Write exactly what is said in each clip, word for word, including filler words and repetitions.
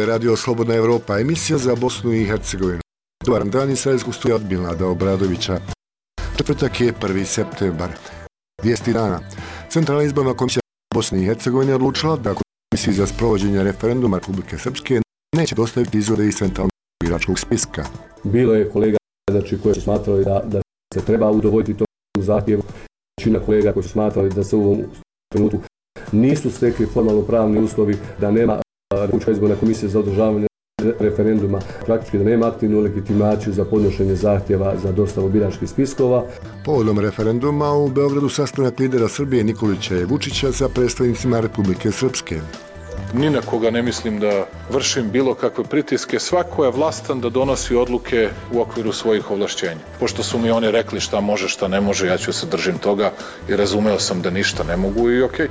Radio Slobodna Evropa, emisija za Bosnu i Hercegovinu. Dobar dan, Izraelskog studija od Milada Obradovića. Četvrtak je prvi septembar. Vijesti dana. Centralna izborna komisija Bosne i Hercegovine odlučila da komisiji za sprovođenje referenduma Republike Srpske neće dostaviti izvode iz centralnog biračkog spiska. Bilo je kolega znači, koji su smatrali da, da se treba udovoljiti tom zahtjevu. Većina kolega koji su smatrali da se u ovom trenutku nisu stekli formalno pravni uslovi, da nema Republička izborna komisija za održavanje referenduma, praktički da nema aktivnu legitimaciju za podnošenje zahtjeva za dostavu biračkih spiskova. Povodom referenduma u Beogradu sastanak lidera Srbije Nikolića i Vučića sa predstavnicima Republike Srpske. Ni na koga ne mislim da vršim bilo kakve pritiske. Svako je vlastan da donosi odluke u okviru svojih ovlašćenja. Pošto su mi oni rekli šta može, šta ne može, ja ću se držim toga i razumeo sam da ništa ne mogu i okej.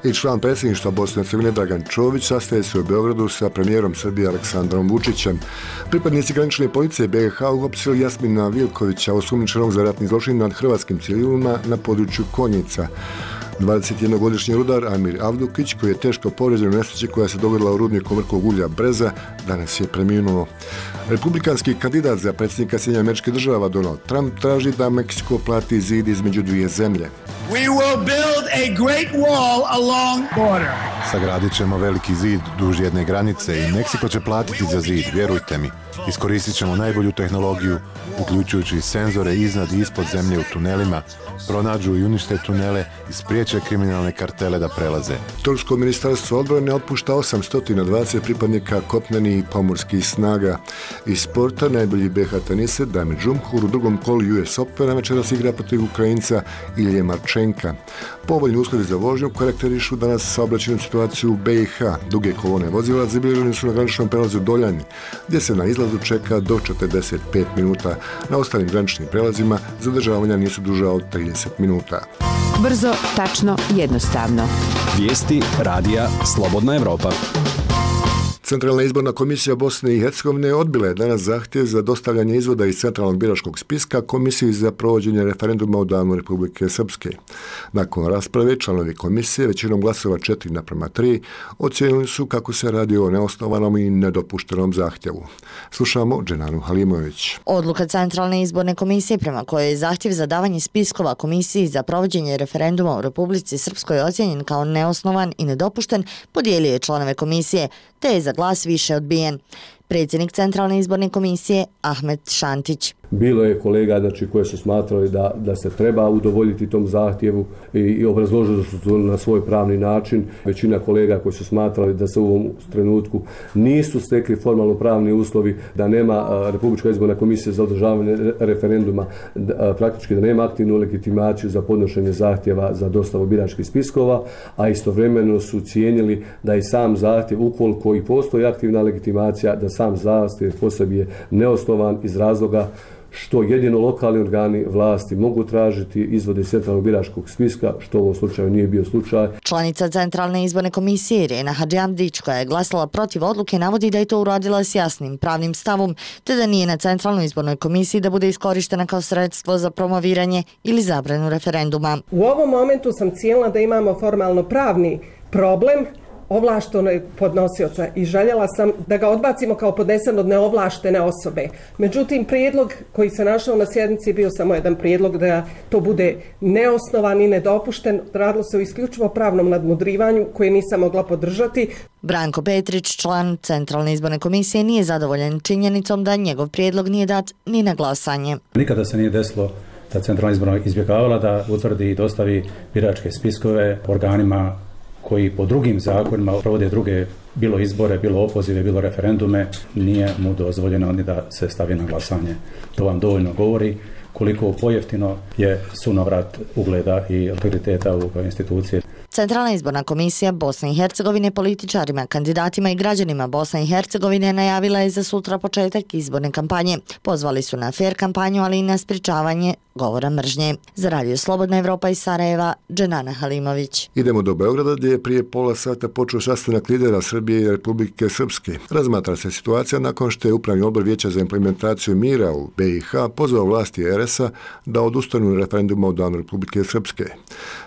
I član predsjedništva Bosne i Hercegovine Dragan Čović sastaje se u Beogradu sa premijerom Srbije Aleksandrom Vučićem. Pripadnici granične policije be ha uhapsili Jasmina Vilkovića, osumnjičenog za ratni zločin nad hrvatskim civilima na području Konjica. dvadesetjednogodišnji rudar Amir Avdukić, koji je teško povrijeđen u nesreći koja se dogodila u rudniku mrkog ulja Breza, danas je preminuo. Republikanski kandidat za predsjednika Sjedinjenih Američkih Država Donald Trump traži da Meksiko plati zid između dvije zemlje. We will build a great wall along border. Sagradit ćemo veliki zid duž jedne granice i Meksiko će platiti za zid, vjerujte mi. Iskoristit ćemo najbolju tehnologiju, uključujući senzore iznad i ispod zemlje u tunelima, pronađu i unište tunele i spriječe kriminalne kartele da prelaze. Tursko ministarstvo odbrane otpušta osamsto dvadeset pripadnika kopnenih i pomorskih snaga. Iz sporta najbolji be ha teniser Damir Džumhur u drugom kolu ju es Opena večeras igra protiv Ukrajinca Ilije Marčenka. Povoljni uslovi za vožnju karakterišu danas saobraćajnu situaciju u be ha. Duge kolone vozila zabilježene su na graničnom prelazu Doljanj, gdje se na izlazu čeka do četrdeset pet minuta. Na ostalim graničnim prelazima zadržavanja nisu duža od trideset minuta. Brzo, tačno, jednostavno. Vijesti radija Slobodna Evropa. Centralna izborna komisija Bosne i Hercegovine odbila je danas zahtjev za dostavljanje izvoda iz centralnog biračkog spiska komisiji za provođenje referenduma u danu Republike Srpske. Nakon rasprave članovi komisije većinom glasova četiri naprema tri ocijenili su kako se radi o neosnovanom i nedopuštenom zahtjevu. Slušamo Dženanu Halimović. Odluka Centralne izborne komisije prema kojoj je zahtjev za davanje spiskova komisiji za provođenje referenduma u Republici Srpskoj ocijenjen kao neosnovan i nedopušten podijelio je članove komisije, te je za glas više odbijen. Predsjednik Centralne izborne komisije Ahmet Šantić. Bilo je kolega znači, koji su smatrali da, da se treba udovoljiti tom zahtjevu i, i obrazložili su to na svoj pravni način. Većina kolega koji su smatrali da se u ovom trenutku nisu stekli formalno pravni uslovi, da nema a, Republička izborna komisija za održavanje referenduma, da, a, praktički da nema aktivnu legitimaciju za podnošenje zahtjeva za dostavu biračkih spiskova, a istovremeno su cijenili da i sam zahtjev, ukoliko i postoji aktivna legitimacija, da sam zahtjev po sebi je neosnovan iz razloga što jedino lokalni organi vlasti mogu tražiti izvode iz centralnog biračkog spiska, što u ovom slučaju nije bio slučaj. Članica Centralne izborne komisije Irena Hadžiamdić, koja je glasala protiv odluke, navodi da je to uradila s jasnim pravnim stavom, te da nije na Centralnoj izbornoj komisiji da bude iskorištena kao sredstvo za promoviranje ili zabranu referenduma. U ovom momentu sam cijelila da imamo formalno pravni problem ovlaštenog podnosioca i željela sam da ga odbacimo kao podnesen od neovlaštene osobe. Međutim, prijedlog koji se našao na sjednici bio samo jedan prijedlog da to bude neosnovan i nedopušten. Radilo se o isključivo pravnom nadmudrivanju koje nisam mogla podržati. Branko Petrić, član Centralne izborne komisije, nije zadovoljan činjenicom da njegov prijedlog nije dat ni na glasanje. Nikada se nije desilo da Centralna izborna izbjegavala da utvrdi i dostavi biračke spiskove organima koji po drugim zakonima provode druge, bilo izbore, bilo opozive, bilo referendume, nije mu dozvoljeno ni da se stavi na glasanje. To vam dovoljno govori koliko pojeftino je sunovrat ugleda i autoriteta u institucije. Centralna izborna komisija Bosne i Hercegovine političarima, kandidatima i građanima Bosne i Hercegovine najavila je za sutra početak izborne kampanje. Pozvali su na fer kampanju, ali i na sprječavanje govora mržnje. Za Radio Slobodna Evropa iz Sarajeva, Dženana Halimović. Idemo do Beograda, gdje je prije pola sata počeo sastanak lidera Srbije i Republike Srpske. Razmatra se situacija nakon što je Upravni odbor Vijeća za implementaciju mira u be i ha pozvao vlasti er es a da odustanu referenduma u danu Republike Srpske.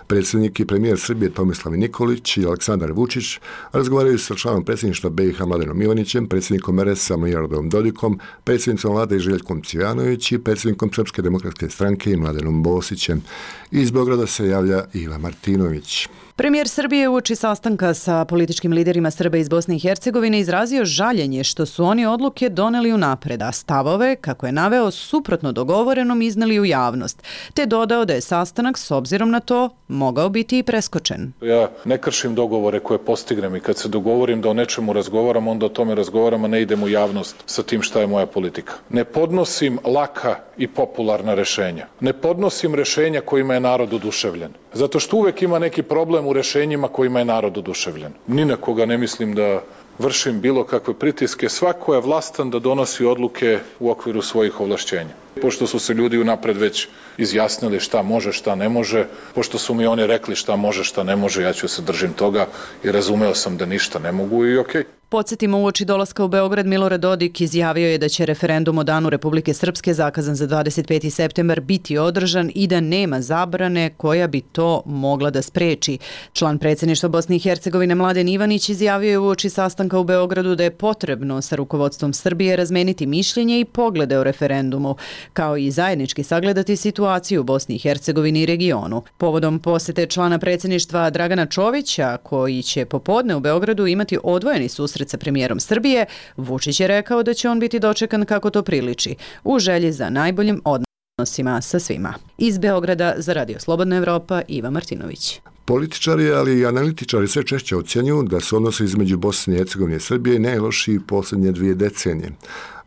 Predsjednik i premijer Srbije Tomislav Nikolić i Aleksandar Vučić razgovaraju sa članom predsjedništva B i H Mladenom Ivanićem, predsjednikom R S-a Miloradom Dodikom, predsjednicom vlade Željkom Cvijanović i predsjednikom Srpske demokratske stranke Mladenom Bosićem. Iz Beograda se javlja Iva Martinović. Premijer Srbije uoči sastanka sa političkim liderima Srba iz Bosne i Hercegovine izrazio žaljenje što su oni odluke doneli unapred, a stavove, kako je naveo, suprotno dogovorenom izneli u javnost, te dodao da je sastanak s obzirom na to mogao biti i preskočen. Ja ne kršim dogovore koje postignem i kad se dogovorim da o nečemu razgovaram, onda o tome razgovaram, a ne idem u javnost sa tim šta je moja politika. Ne podnosim laka i popularna rešenja. Ne podnosim rešenja kojima je narod oduševljen. Zato što uvek ima neki problem u rešenjima kojima je narod oduševljen. Ni na koga ne mislim da vršim bilo kakve pritiske. Svako je vlastan da donosi odluke u okviru svojih ovlašćenja. Pošto su se ljudi unapred već izjasnili šta može, šta ne može, pošto su mi oni rekli šta može, šta ne može, ja ću se držim toga i razumeo sam da ništa ne mogu i okej. Podsjetimo, uoči dolaska u Beograd Milorad Dodik izjavio je da će referendum o Danu Republike Srpske zakazan za dvadeset peti septembar biti održan i da nema zabrane koja bi to mogla da spreči. Član predsjedništva Bosne i Hercegovine Mladen Ivanić izjavio je uoči sastanka u Beogradu da je potrebno sa rukovodstvom Srbije razmeniti mišljenje i poglede o referendumu, kao i zajednički sagledati situaciju u Bosni i Hercegovini i regionu. Povodom posete člana predsjedništva Dragana Čovića, koji će popodne u Beogradu imati odvojeni susret sa premijerom Srbije, Vučić je rekao da će on biti dočekan kako to priliči, u želji za najboljim odnosima sa svima. Iz Beograda za Radio Slobodna Evropa, Iva Martinović. Političari, ali i analitičari sve češće ocjenjuju da su odnosi između Bosne i Hercegovine i Srbije najlošiji posljednje dvije decenije.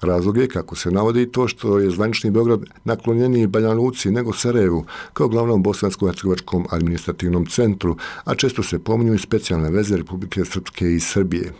Razlog je, kako se navodi, to što je zvanični Beograd naklonjeniji Banja Luci nego Sarajevu, kao glavnom bosansko-hercegovačkom administrativnom centru, a često se pominju i specijalne veze Republike Srpske i Srbije.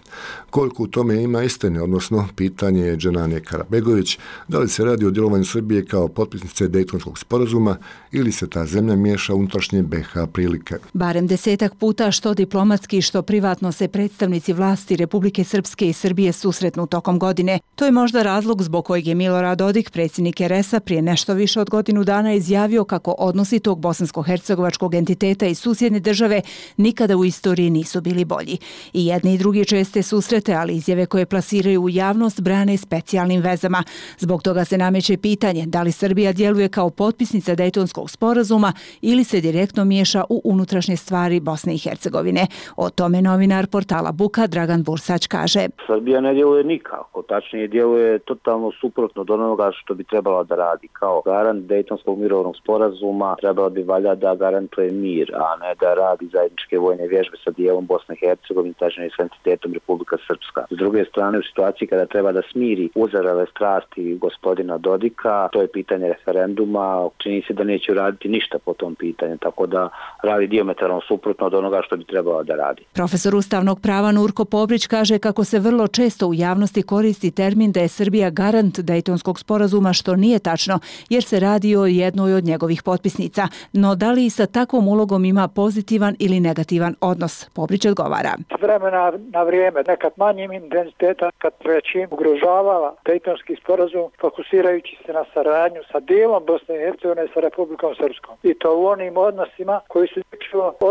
Koliko u tome ima istine, odnosno pitanje je Dženane Karabegović, da li se radi o djelovanju Srbije kao potpisnice Dejtonskog sporazuma ili se ta zemlja miješa u unutrašnje B H prilike. Barem desetak puta što diplomatski, što privatno se predstavnici vlasti Republike Srpske i Srbije susretnu tokom godine. To je možda razlog zbog kojeg je Milorad Dodik, predsjednik R S-a, prije nešto više od godinu dana izjavio kako odnosi tog bosansko-hercegovačkog entiteta i susjedne države nikada u istoriji nisu bili bolji. I jedni i drugi česte susrete, ali izjave koje plasiraju u javnost brane specijalnim vezama. Zbog toga se nameće pitanje da li Srbija djeluje kao potpisnica Dejtonskog sporazuma ili se direktno miješa u unutrašnje stvari Bosne i Hercegovine. O tome novinar portala Buka Dragan Bursać kaže: Srbija ne djeluje nikako, tačnije djeluje totalno suprotno od onoga što bi trebala da radi. Kao garant Dejtonskog mirovnog sporazuma trebala bi valja da garantuje mir, a ne da radi zajedničke vojne vježbe sa dijelom Bosne i Hercegovine, tačnije s entitetom Republika Srpska. S druge strane, u situaciji kada treba da smiri uzarale strasti gospodina Dodika, to je pitanje referenduma, čini se da neće raditi ništa po tom pitanju, tako da radi dijametralno suprotno od onoga što bi trebala da radi. Profesor ustavnog prava Nurko Pobrić kaže kako se vrlo često u javnosti koristi termin da je Srbija garant Dejtonskog sporazuma, što nije tačno, jer se radi o jednoj od njegovih potpisnica. No da li i sa takvom ulogom ima pozitivan ili negativan odnos? Pobrić odgovara: S vremena na vrijeme, nekad manjim intenzitetom, kad većim ugrožavala Dejtonski sporazum, fokusirajući se na saradnju sa dijelom Bosne i Hercegovine sa Republikom Srpskom. I to u onim odnosima koji su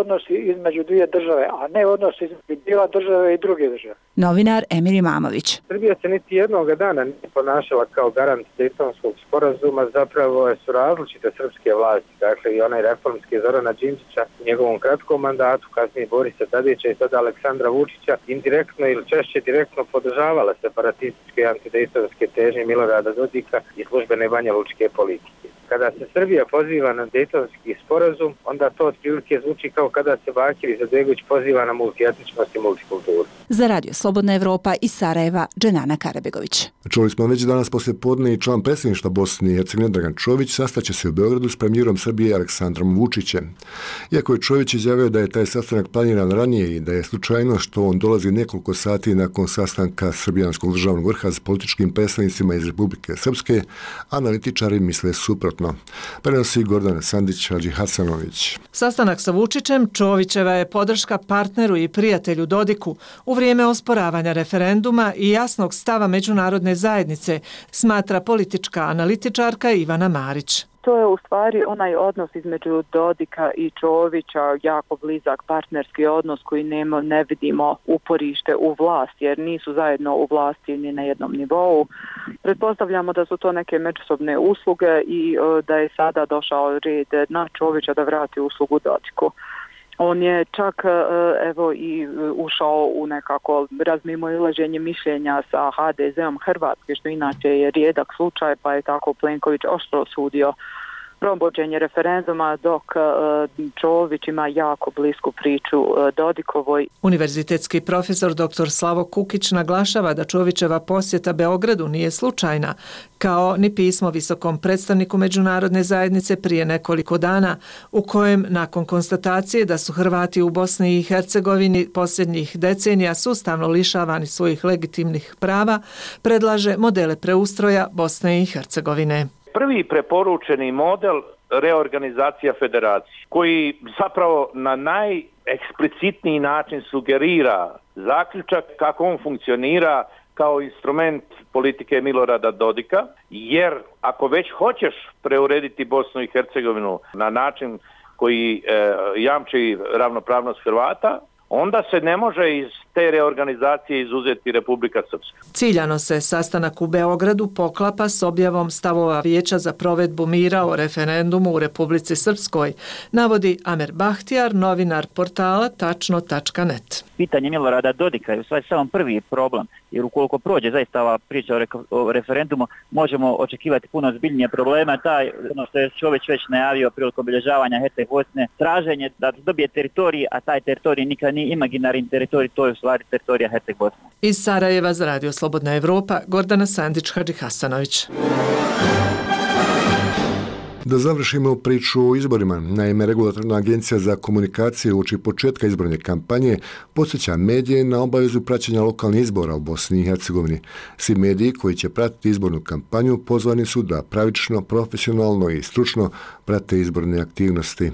odnosi između dvije države, a ne odnosi između dijela države i druge države. Novinar Emir Imamović: Srbija se niti jednog dana nije ponašala kao garant Dejtonskog sporazuma, zapravo su različite srpske vlasti, dakle i onaj reformski Zorana Đinđića u njegovom kratkom mandatu, kasnije Borisa Tadića i sada Aleksandra Vučića, indirektno ili češće direktno podržavala separatističke i antidejtonske težnje Milorada Dodika i službene banjalučke politike. Kada se Srbija poziva na Dejtonski sporazum, onda to otprilike zvuči kao kada se Bakir Izetbegović poziva na multietničnost i multikulturu. Za Radio Slobodna Evropa iz Sarajeva, Dženana Karabegović. Čuli smo već danas poslije podne i član predsjedništva Bosne i Hercegovine Dragan Čović sastaće se u Beogradu s premijerom Srbije Aleksandrom Vučićem. Iako je Čović izjavio da je taj sastanak planiran ranije i da je slučajno što on dolazi nekoliko sati nakon sastanka Srbijanskog državnog vrha s političkim predstavnicima iz Republike Srpske, analitičari misle suprotno. Prenosi Gordana Sandić, Hadži Hasanović. Sastanak sa Vučićem Čovićeva je podrška partneru i prijatelju Dodiku u vrijeme osporavanja referenduma i jasnog stava međunarodne zajednice, smatra politička analitičarka Ivana Marić. to je u stvari onaj odnos između Dodika i Čovića, jako blizak partnerski odnos koji nema, ne vidimo uporište u vlasti, jer nisu zajedno u vlasti ni na jednom nivou. Pretpostavljamo da su to neke međusobne usluge i da je sada došao red na Čovića da vrati uslugu Dodiku. On je čak evo i ušao u nekako razmimoilaženje mišljenja sa ha de zom Hrvatske, što inače je rijedak slučaj, pa je tako Plenković oštro osudio provođenje referenduma, dok Čović ima jako blisku priču Dodikovoj. Univerzitetski profesor dr Slavo Kukić naglašava da Čovićeva posjeta Beogradu nije slučajna, kao ni pismo visokom predstavniku međunarodne zajednice prije nekoliko dana, u kojem nakon konstatacije da su Hrvati u Bosni i Hercegovini posljednjih decenija sustavno lišavani svojih legitimnih prava, predlaže modele preustroja Bosne i Hercegovine. Prvi preporučeni model reorganizacija federacije, koji zapravo na najeksplicitniji način sugerira zaključak kako on funkcionira kao instrument politike Milorada Dodika, jer ako već hoćeš preurediti Bosnu i Hercegovinu na način koji e, jamči ravnopravnost Hrvata, onda se ne može iz te reorganizacije izuzeti Republika Srpska. Ciljano se sastanak u Beogradu poklapa s objavom stavova Vijeća za provedbu mira o referendumu u Republici Srpskoj, navodi Amer Bahtijar, novinar portala tačno tačka net. Pitanje Milorada Dodika je u stvari samo prvi problem, jer ukoliko prođe zaista ova priča o, re- o referendumu, možemo očekivati puno zbiljnije problema. Taj, ono što je Čović već najavio prilikom obilježavanja Herceg Bosne, traženje da dobije teritorij, a taj teritorij nikad nije imaginarni teritorij, to je u stvari teritorija Herceg Bosne. Iz Sarajeva za Radio Slobodna Evropa, Gordana Sandić-Hadži Hasanović. Da završimo priču o izborima. Naime, Regulatorna agencija za komunikaciju uoči početka izborne kampanje podsjeća medije na obavezu praćenja lokalnih izbora u Bosni i Hercegovini. Svi mediji koji će pratiti izbornu kampanju pozvani su da pravično, profesionalno i stručno prate izborne aktivnosti.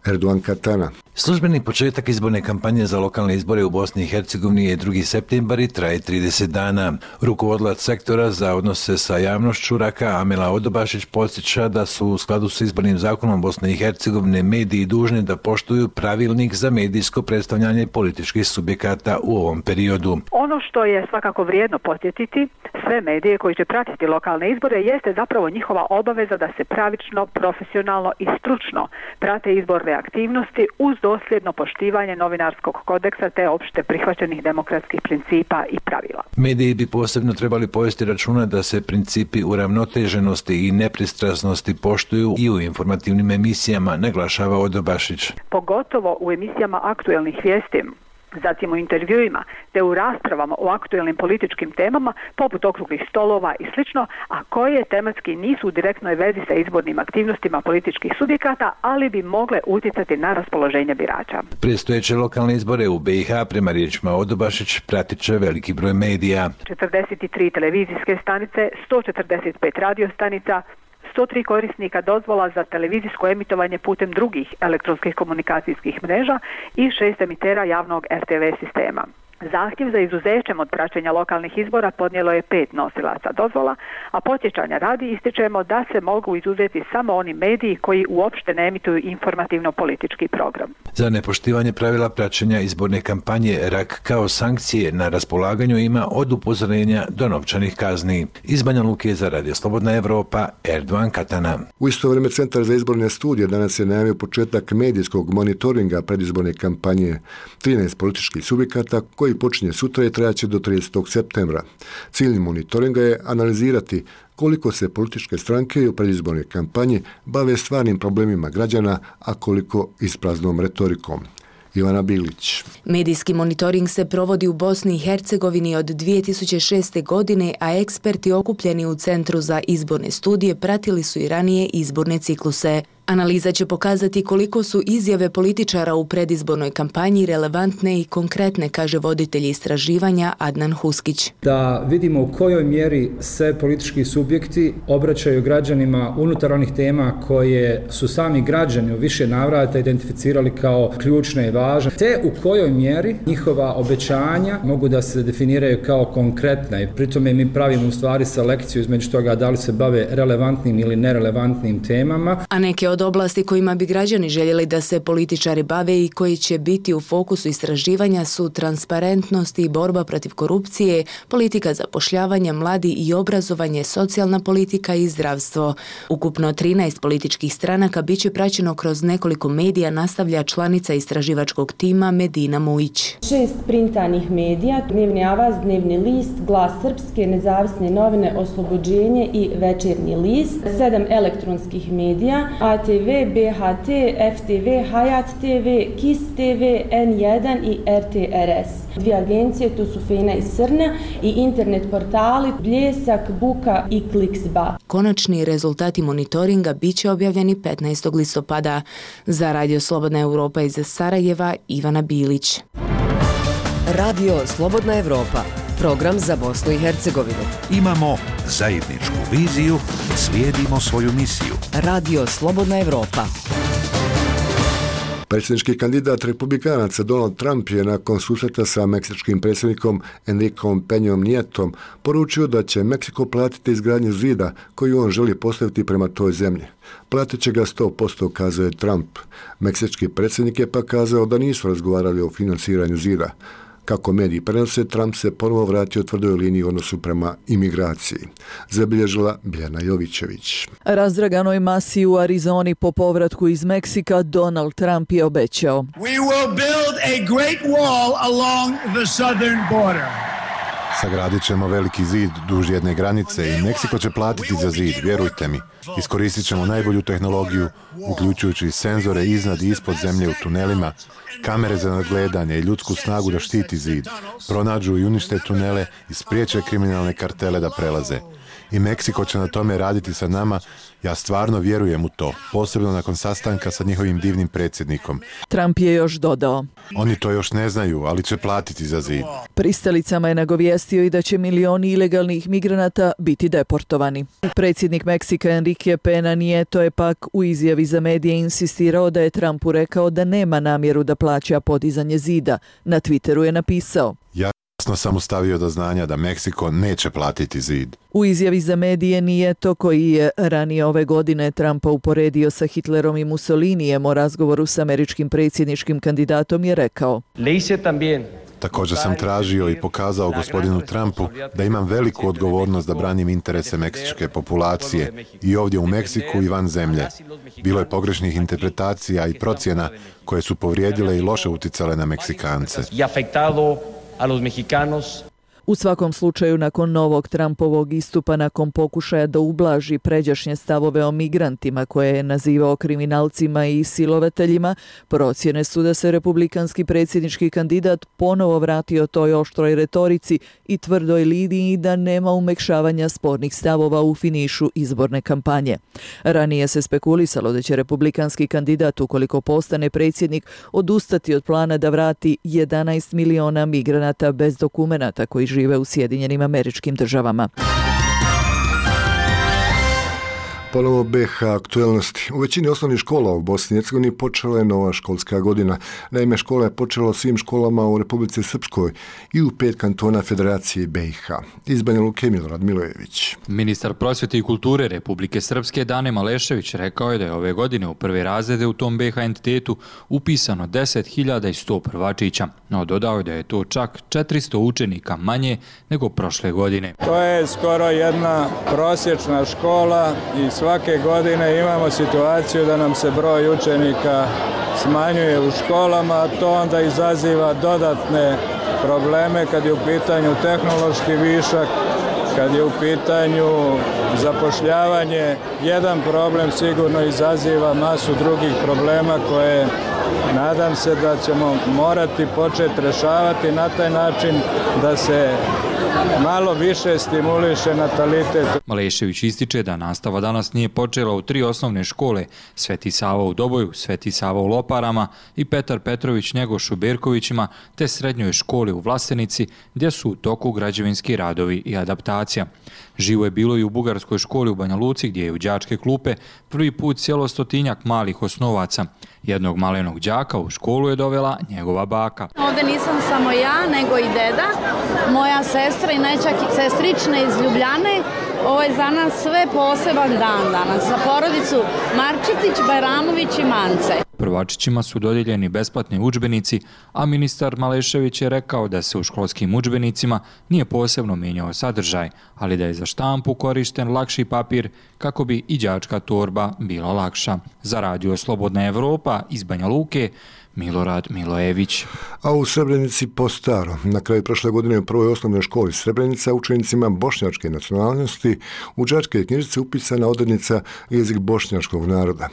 Erdogan Katana. Službeni početak izborne kampanje za lokalne izbore u Bosni i Hercegovini je drugi septembar i traje trideset dana. Rukovodilac sektora za odnose sa javnošću Raka Amela Odobašić podsjeća da su u skladu s izbornim zakonom Bosne i Hercegovine mediji dužni da poštuju pravilnik za medijsko predstavljanje političkih subjekata u ovom periodu. Ono što je svakako vrijedno podsjetiti sve medije koji će pratiti lokalne izbore jeste zapravo njihova obaveza da se pravično, profesionalno i stručno prate izborne aktivnosti uz dosljedno poštivanje novinarskog kodeksa te opšte prihvaćenih demokratskih principa i pravila. Mediji bi posebno trebali povesti računa da se principi uravnoteženosti i nepristrasnosti poštuju i u informativnim emisijama, naglašava Odobašić. Pogotovo u emisijama aktuelnih vijesti, zatim u intervjuima te u raspravama o aktuelnim političkim temama poput okruglih stolova i slično, a koje tematski nisu u direktnoj vezi sa izbornim aktivnostima političkih subjekata, ali bi mogle utjecati na raspoloženje birača. Predstojeće lokalne izbore u be i ha prema riječima Odobašić pratit će veliki broj medija. četrdeset tri televizijske stanice, sto četrdeset pet radio stanica, sto tri korisnika dozvola za televizijsko emitovanje putem drugih elektronskih komunikacijskih mreža i šest emitera javnog er te ve sistema. Zahtjev za izuzećem od praćenja lokalnih izbora podnijelo je pet nosilaca dozvola, a podsjećanja radi ističemo da se mogu izuzeti samo oni mediji koji uopšte ne emituju informativno-politički program. Za nepoštivanje pravila praćenja izborne kampanje Rak kao sankcije na raspolaganju ima od upozorenja do novčanih kazni. Iz Banja Luke za Radio Slobodna Evropa, Erdogan Katana. U isto vrijeme Centar za izborne studije danas je najavio početak medijskog monitoringa predizborne kampanje. trinaest političkih subjekata koji počinje sutra i trajaće do tridesetog septembra. Cilj monitoringa je analizirati koliko se političke stranke u predizbornoj kampanji bave stvarnim problemima građana, a koliko ispraznom retorikom. Ivana Bilić. Medijski monitoring se provodi u Bosni i Hercegovini od dvije tisuće šeste. godine, a eksperti okupljeni u Centru za izborne studije pratili su i ranije izborne cikluse. Analiza će pokazati koliko su izjave političara u predizbornoj kampanji relevantne i konkretne, kaže voditelj istraživanja Adnan Huskić. Da vidimo u kojoj mjeri se politički subjekti obraćaju građanima unutar onih tema koje su sami građani u više navrata identificirali kao ključne i važne, te u kojoj mjeri njihova obećanja mogu da se definiraju kao konkretna i pri tome mi pravimo u stvari selekciju između toga da li se bave relevantnim ili nerelevantnim temama. A neke od oblasti kojima bi građani željeli da se političari bave i koji će biti u fokusu istraživanja su transparentnost i borba protiv korupcije, politika zapošljavanja, mladi i obrazovanje, socijalna politika i zdravstvo. Ukupno trinaest političkih stranaka bit će praćeno kroz nekoliko medija, nastavlja članica istraživačkog tima Medina Mujić. Šest printanih medija, Dnevni avaz, Dnevni list, Glas Srpske, Nezavisne novine, Oslobođenje i Večernji list, sedam elektronskih medija, A T V, B H T, F T V, Hayat T V, Kiss T V, N jedan i R T R S. Dvije agencije, to su Fena i Srna, i internet portali Bljesak, Buka i Kliksba. Konačni rezultati monitoringa bit će objavljeni petnaestog listopada. Za Radio Slobodna Evropa iz Sarajeva, Ivana Bilić. Radio Slobodna Evropa, program za Bosnu i Hercegovinu. Imamo zajedničku viziju, slijedimo svoju misiju. Radio Slobodna Evropa. Predsjednički kandidat republikanaca Donald Trump je nakon susreta sa meksičkim predsjednikom Enriqueom Peñom Nietom poručio da će Meksiko platiti izgradnju zida koju on želi postaviti prema toj zemlji. Platit će ga sto posto, kazao je Trump. Meksički predsjednik je pa kazao da nisu razgovarali o financiranju zida. Kako mediji prenose, Trump se ponovo vratio tvrdoj liniji u odnosu prema imigraciji. Zabilježila Biljana Jovićević. Razdraganoj masi u Arizoni po povratku iz Meksika Donald Trump je obećao: We will build a great wall along the southern border. Sagradit ćemo veliki zid duž jedne granice i Meksiko će platiti za zid, vjerujte mi. Iskoristit ćemo najbolju tehnologiju, uključujući senzore iznad i ispod zemlje u tunelima, kamere za nadgledanje i ljudsku snagu da štiti zid, pronađu i unište tunele i spriječe kriminalne kartele da prelaze. I Meksiko će na tome raditi sa nama, ja stvarno vjerujem u to, posebno nakon sastanka sa njihovim divnim predsjednikom. Trump je još dodao: Oni to još ne znaju, ali će platiti za zid. Pristalicama je nagovijestio i da će milioni ilegalnih migranata biti deportovani. Predsjednik Meksika Enrique Peña Nieto je pak u izjavi za medije insistirao da je Trumpu rekao da nema namjeru da plaća podizanje zida. Na Twitteru je napisao: Jasno sam ustavio do znanja da Meksiko neće platiti zid. U izjavi za medije Nieto, koji je ranije ove godine Trumpa uporedio sa Hitlerom i Mussolinijem o razgovoru s američkim predsjedničkim kandidatom, je rekao: Također sam tražio i pokazao gospodinu Trumpu da imam veliku odgovornost da branim interese meksičke populacije i ovdje u Meksiku i van zemlje. Bilo je pogrešnih interpretacija i procjena koje su povrijedile i loše uticale na Meksikance. a los mexicanos. U svakom slučaju, nakon novog Trumpovog istupa, nakon pokušaja da ublaži pređašnje stavove o migrantima koje je nazivao kriminalcima i silovateljima, procjene su da se republikanski predsjednički kandidat ponovo vratio toj oštroj retorici i tvrdoj liniji da nema umekšavanja spornih stavova u finišu izborne kampanje. Ranije se spekulisalo da će republikanski kandidat, ukoliko postane predsjednik, odustati od plana da vrati jedanaest miliona migranata bez dokumenata koji žive u Sjedinjenim Američkim Državama. Ponovo B H aktuelnosti. U većini osnovnih škola u Bosni i Hercegovini počela je nova školska godina. Naime, škola je počela u svim školama u Republici Srpskoj i u pet kantona Federacije B i H. Iz Banja Luke Milorad Milojević. Ministar prosvjete i kulture Republike Srpske Dane Malešević rekao je da je ove godine u prve razrede u tom B H entitetu upisano deset hiljada sto prvačića, no dodao je da je to čak četiristo učenika manje nego prošle godine. To je skoro jedna prosječna škola i svake godine imamo situaciju da nam se broj učenika smanjuje u školama, a to onda izaziva dodatne probleme kad je u pitanju tehnološki višak, kad je u pitanju zapošljavanje. Jedan problem sigurno izaziva masu drugih problema koje nadam se da ćemo morati početi rješavati na taj način da se malo više stimuliše natalitet. Malešević ističe da nastava danas nije počela u tri osnovne škole, Sveti Sava u Doboju, Sveti Sava u Loparama i Petar Petrović Njegoš u Berkovićima, te srednjoj školi u Vlasenici, gdje su u toku građevinski radovi i adaptacija. Živo je bilo i u bugarskoj školi u Banja Luci, gdje je u đačke klupe prvi put sjelo stotinjak malih osnovaca. Jednog malenog đaka u školu je dovela njegova baka. Ovdje nisam samo ja, nego i deda, moja sestra i nećak sestrične iz Ljubljane. Ovo je za nas sve poseban dan danas, za porodicu Marčetić, Bajramović i Mance. Prvačićima su dodijeljeni besplatni udžbenici, a ministar Malešević je rekao da se u školskim udžbenicima nije posebno mijenjao sadržaj, ali da je za štampu korišten lakši papir kako bi i đačka torba bila lakša. Za Radio Slobodna Evropa iz Banja Luke, Milorad Milojević. A u Srebrenici po staro. Na kraju prošle godine u prvoj osnovnoj školi Srebrenica učenicima bošnjačke nacionalnosti u đačke knjižice upisana odrednica jezik bošnjačkog naroda.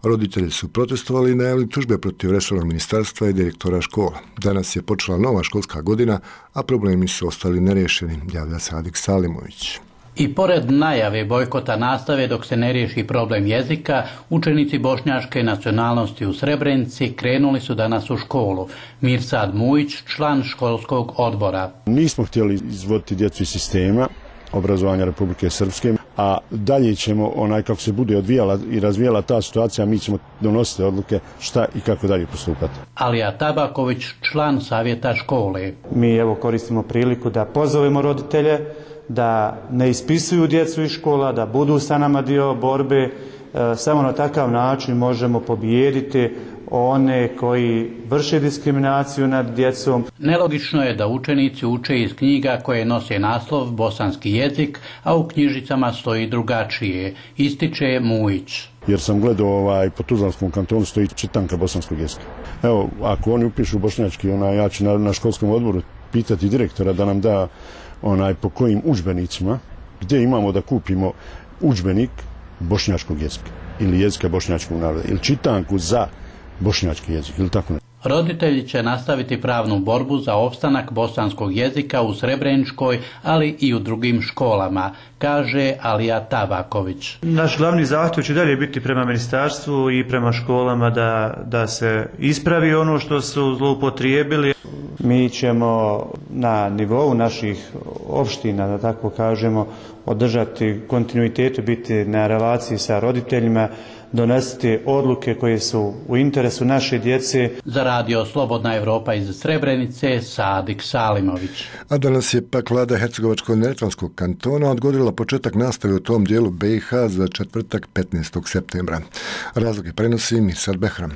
Roditelji su protestovali i najavili tužbe protiv resornog ministarstva i direktora škola. Danas je počela nova školska godina, a problemi su ostali nerješeni, javlja Sadik Salimović. I pored najave bojkota nastave dok se ne riješi problem jezika, učenici bošnjačke nacionalnosti u Srebrenici krenuli su danas u školu. Mirsad Mujić, član školskog odbora. Nismo htjeli izvoditi djecu iz sistema obrazovanja Republike Srpske, a dalje ćemo, onaj kako se bude odvijala i razvijala ta situacija, mi ćemo donositi odluke šta i kako dalje postupati. Alija Tabaković, član savjeta škole. Mi evo koristimo priliku da pozovemo roditelje da ne ispisuju djecu iz škola, da budu sa nama dio borbe. Samo na takav način možemo pobijediti one koji vrše diskriminaciju nad djecom. Nelogično je da učenici uče iz knjiga koje nose naslov bosanski jezik, a u knjižicama stoji drugačije, ističe Mujić. Jer sam gledao ovaj, po Tuzlanskom kantonu stoji čitanka bosanskog jezika. Evo, ako oni upišu bošnjački, ona, ja ću na, na školskom odboru pitati direktora da nam da onaj po kojim udžbenicima, gdje imamo da kupimo udžbenik bošnjačkog jezika ili jezika bošnjačkog naroda ili čitanku za bošnjački jezik ili tako ne. Roditelji će nastaviti pravnu borbu za opstanak bosanskog jezika u Srebreničkoj, ali i u drugim školama, kaže Alija Tabaković. Naš glavni zahtjev će dalje biti prema ministarstvu i prema školama da, da se ispravi ono što su zloupotrijebili. Mi ćemo na nivou naših opština, da tako kažemo, održati kontinuitetu, biti na relaciji sa roditeljima, donositi odluke koje su u interesu naše djece. Za Radio Slobodna Evropa iz Srebrenice, Sadik Salimović. A danas je pak vlada Hercegovačko-neretvanskog kantona odgodila početak nastave u tom dijelu B i H za četvrtak petnaestog septembra. Razloge prenosi Mirsad Behram.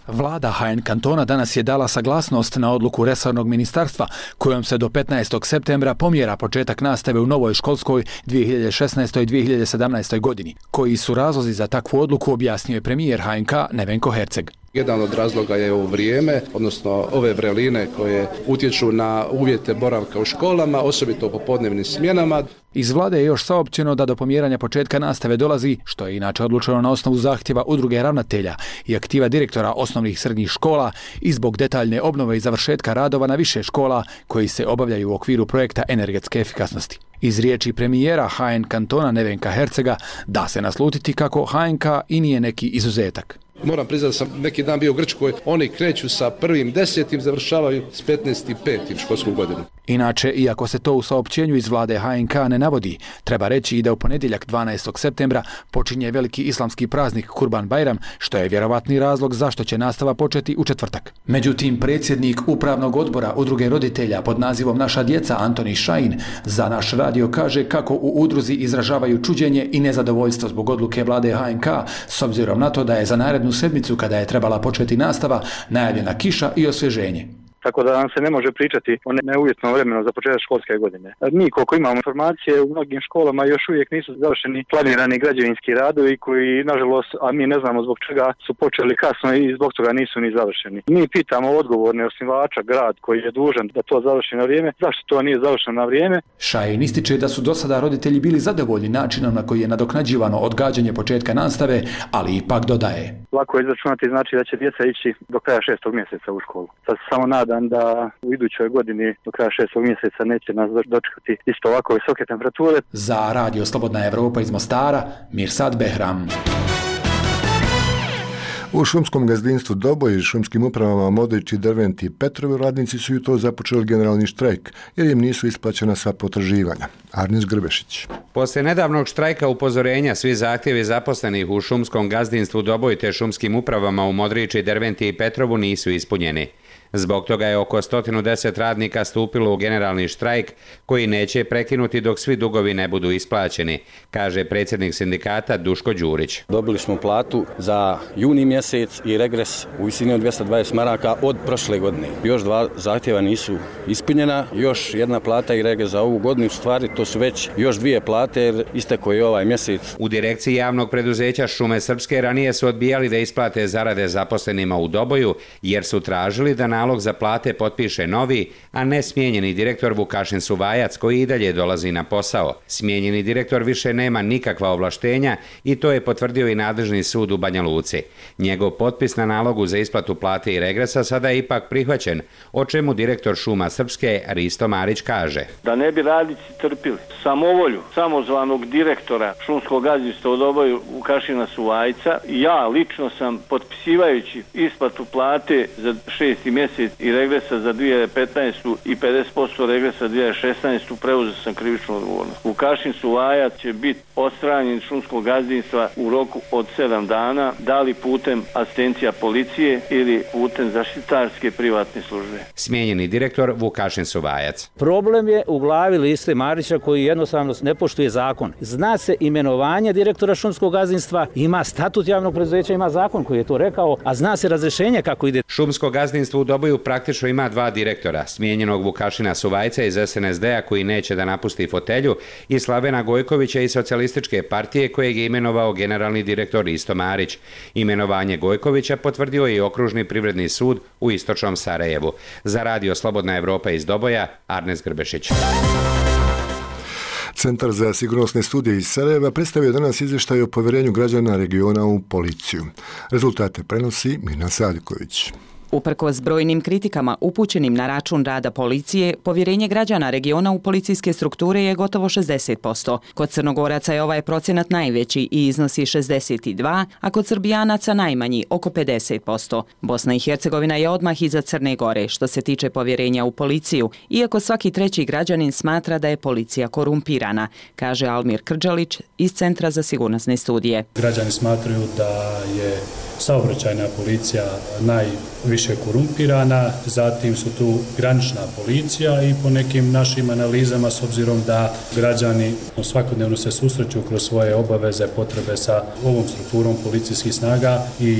Vlada H N kantona danas je dala saglasnost na odluku resornog ministarstva kojom se do petnaestog septembra pomjera početak nastave u novoj školskoj dvije hiljade šesnaestoj dvije hiljade sedamnaestoj godini. Koji su razlozi za takvu odluku objasnio je premijer H N K Nevenko Herceg. Jedan od razloga je ovo vrijeme, odnosno ove vreline koje utječu na uvjete boravka u školama, osobito u popodnevnim smjenama. Iz vlade je još saopćeno da do pomjeranja početka nastave dolazi, što je inače odlučeno na osnovu zahtjeva udruge ravnatelja i aktiva direktora osnovnih i srednjih škola i zbog detaljne obnove i završetka radova na više škola koji se obavljaju u okviru projekta energetske efikasnosti. Iz riječi premijera H N kantona Nevenka Hercega da se naslutiti kako H N K i nije neki izuzetak. Moram priznati da sam neki dan bio u Grčkoj, oni kreću sa prvim desetim, završavaju s petnaestim petim školsku godinu. Inače, iako se to u saopćenju iz vlade H N K ne navodi, treba reći i da u ponedjeljak dvanaestog septembra počinje veliki islamski praznik Kurban Bajram, što je vjerovatni razlog zašto će nastava početi u četvrtak. Međutim, predsjednik upravnog odbora udruge roditelja pod nazivom Naša djeca Antoni Šajin za naš radio kaže kako u udruzi izražavaju čuđenje i nezadovoljstvo zbog odluke vlade H N K s obzirom na to da je za narednu sedmicu kada je trebala početi nastava najavljena kiša i osvježenje. Tako da nam se ne može pričati o neuvjetnom vremenu za početak školske godine. Mi koliko imamo informacije u mnogim školama još uvijek nisu završeni planirani građevinski radovi koji nažalost, a mi ne znamo zbog čega su počeli kasno i zbog toga nisu ni završeni. Mi pitamo odgovorne osnivača, grad koji je dužan da to završi na vrijeme, zašto to nije završeno na vrijeme? Šajin ističe da su do sada roditelji bili zadovoljni načinom na koji je nadoknađivano odgađanje početka nastave, ali ipak dodaje. Lako je izračunati, znači da će djeca ići do kraja šestog mjeseca u školu. Sad se samo nadam siguran da u idućoj godini do kraja šestog mjeseca neće nas dočekati isto ovako visoke temperature. Za Radio Slobodna Evropa iz Mostara, Mirsad Behram. U šumskom gazdinstvu Doboj i šumskim upravama Modrić i Dervent i Petrovi radnici su jutro započeli generalni štrajk jer im nisu isplaćena sva potraživanja. Arnes Grbešić. Poslije nedavnog štrajka upozorenja svi zahtjevi zaposlenih u šumskom gazdinstvu Doboj te šumskim upravama u Modrići, Derventi i Petrovu nisu ispunjeni. Zbog toga je oko sto deset radnika stupilo u generalni štrajk koji neće prekinuti dok svi dugovi ne budu isplaćeni, kaže predsjednik sindikata Duško Đurić. Dobili smo platu za juni mjesec i regres u visini od dvjesto dvadeset maraka od prošle godine. Još dva zahtjeva nisu ispunjena, još jedna plata i regres za ovu godinu, u stvari to su već još dvije plate jer istekao je ovaj mjesec. U direkciji javnog preduzeća Šume Srpske ranije su odbijali da isplate zarade zaposlenima u Doboju jer su tražili da nalog za plate potpiše novi, a ne smijenjeni direktor Vukašin Suvajac koji i dalje dolazi na posao. Smijenjeni direktor više nema nikakva ovlaštenja i to je potvrdio i nadležni sud u Banja Luci. Njegov potpis na nalogu za isplatu plate i regresa sada je ipak prihvaćen, o čemu direktor Šuma Srpske Risto Marić kaže. Da ne bi radnici trpili samovolju samozvanog direktora šumskog gazdinstva u Doboju Vukašina Suvajca, ja lično sam potpisivajući isplatu plate za šesti mjesec i regresa za dvije hiljade petnaestu i pedeset posto regresa za dvije hiljade šesnaestu preuzeo sam krivičnu odgovornost. Vukašin Suvajac će biti odstranjen šumskog gazdinstva u roku od sedam dana, da li putem asistencija policije ili putem zaštitarske privatne službe. Smijenjeni direktor Vukašin Suvajac. Problem je u glavi Liste Marića koji jednostavno ne poštuje zakon. Zna se imenovanje direktora šumskog gazdinstva, ima statut javnog preduzeća, ima zakon koji je to rekao, a zna se razrješenje kako ide. Šumsko gazdinstvo u Doboju praktično ima dva direktora, smijenjenog Vukašina Suvajca iz es en es de a koji neće da napusti fotelju i Slavena Gojkovića iz Socijalističke partije kojeg je imenovao generalni direktor Risto Marić. Imenovanje Gojkovića potvrdio je i Okružni privredni sud u istočnom Sarajevu. Za Radio Slobodna Evropa iz Doboja, Arnes Grbešić. Centar za sigurnosne studije iz Sarajeva predstavio danas izvještaj o povjerenju građana regiona u policiju. Rezultate prenosi Mirna Sadiković. Uprkos brojnim kritikama upućenim na račun rada policije, povjerenje građana regiona u policijske strukture je gotovo šezdeset posto. Kod Crnogoraca je ovaj procenat najveći i iznosi šezdeset dva, a kod Srbijanaca najmanji, oko pedeset posto. Bosna i Hercegovina je odmah iza Crne Gore što se tiče povjerenja u policiju, iako svaki treći građanin smatra da je policija korumpirana, kaže Almir Krđalić iz Centra za sigurnosne studije. Građani smatraju da je saobraćajna policija najviše korumpirana, zatim su tu granična policija i po nekim našim analizama, s obzirom da građani svakodnevno se susreću kroz svoje obaveze, potrebe sa ovom strukturom policijskih snaga i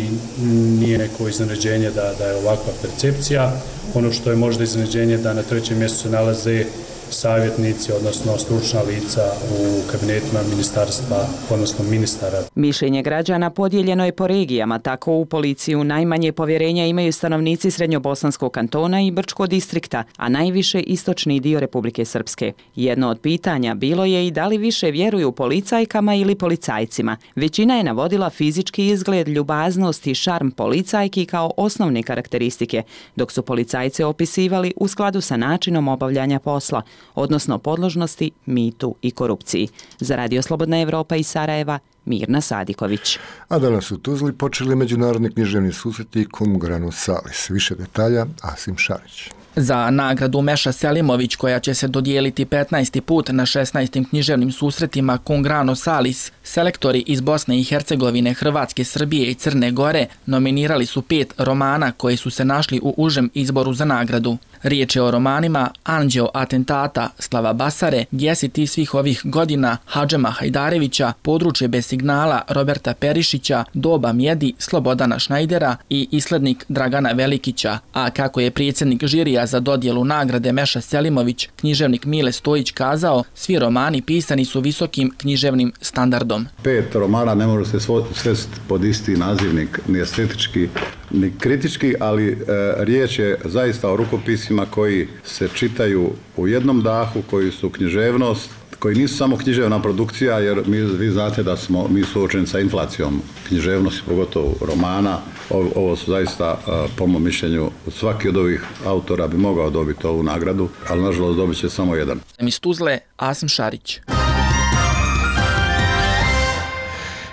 nije neko iznenađenje da, da je ovakva percepcija. Ono što je možda iznenađenje da na trećem mjestu se nalaze savjetnici, odnosno stručna lica u kabinetima ministarstva, odnosno ministara. Mišljenje građana podijeljeno je po regijama, tako u policiju najmanje povjerenja imaju stanovnici Srednjobosanskog kantona i Brčkog distrikta, a najviše istočni dio Republike Srpske. Jedno od pitanja bilo je i da li više vjeruju policajkama ili policajcima. Većina je navodila fizički izgled, ljubaznost i šarm policajki kao osnovne karakteristike, dok su policajce opisivali u skladu sa načinom obavljanja posla, odnosno podložnosti, mitu i korupciji. Za Radio Slobodna Evropa iz Sarajeva, Mirna Sadiković. A danas u Tuzli počeli međunarodni književni susreti Cum grano salis. Više detalja, Asim Šarić. Za nagradu Meša Selimović, koja će se dodijeliti petnaesti put na šesnaestim književnim susretima Cum grano salis, selektori iz Bosne i Hercegovine, Hrvatske, Srbije i Crne Gore nominirali su pet romana koji su se našli u užem izboru za nagradu. Riječ je o romanima Anđeo atentata Slava Basare, Gdje si ti svih ovih godina Hadžema Hajdarevića, Područje bez signala Roberta Perišića, Doba mjedi Slobodana Šnajdera i Islednik Dragana Velikića, a kako je predsjednik žirija za dodjelu nagrade Meša Selimović, književnik Mile Stojić kazao, svi romani pisani su visokim književnim standardom. Pet romana ne može se svesti pod isti nazivnik, ni estetički, ni kritički, ali e, riječ je zaista o rukopisima koji se čitaju u jednom dahu, koji su književnost, koji nisu samo književna produkcija, jer mi, vi znate da smo mi suočeni sa inflacijom književnosti, pogotovo romana. Ovo, ovo su zaista, po mom mišljenju, svaki od ovih autora bi mogao dobiti ovu nagradu, ali nažalost dobit će samo jedan. Iz Tuzle, Asim Šarić.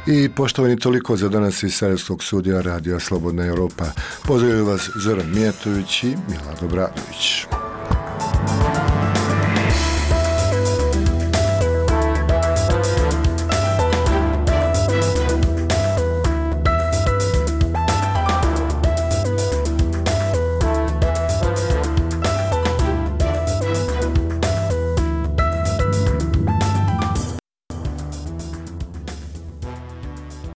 I poštovani, toliko za danas iz Sarajevskog studija Radija Slobodna Europa. Pozdravljaju vas Zoran Mijatović i Milad Obradović.